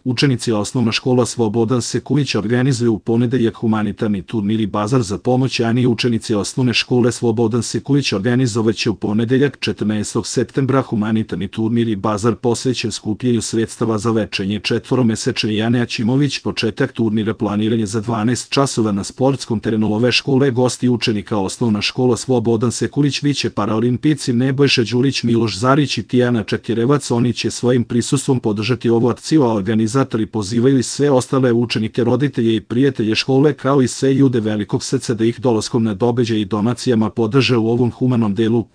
Učenici osnovna škola Slobodan Sekulić organizuju u ponedeljak humanitarni turnir i bazar za pomoć, a učenici osnovne škole Slobodan Sekulić organizovaće u ponedeljak 14. septembra humanitarni turnir i bazar posvećen skupljanju sredstava za lečenje četvoromesečne Jane Aćimović. Početak turnira planiran je za 12 časova na sportskom terenu ove škole. Gosti učenika osnovna škola Slobodan Sekulić biće paraolimpijci Nebojša Đurić, Miloš Zarić i Tijana Čekirevac. Oni će svojim prisustvom podržati ovu akciju, a organizatori pozivaju i sve ostale učenike, roditelje i prijatelje škole, kao i sve ljude velikog srca da ih dolaskom na događaj i donacijama podrže u ovom humanom delu.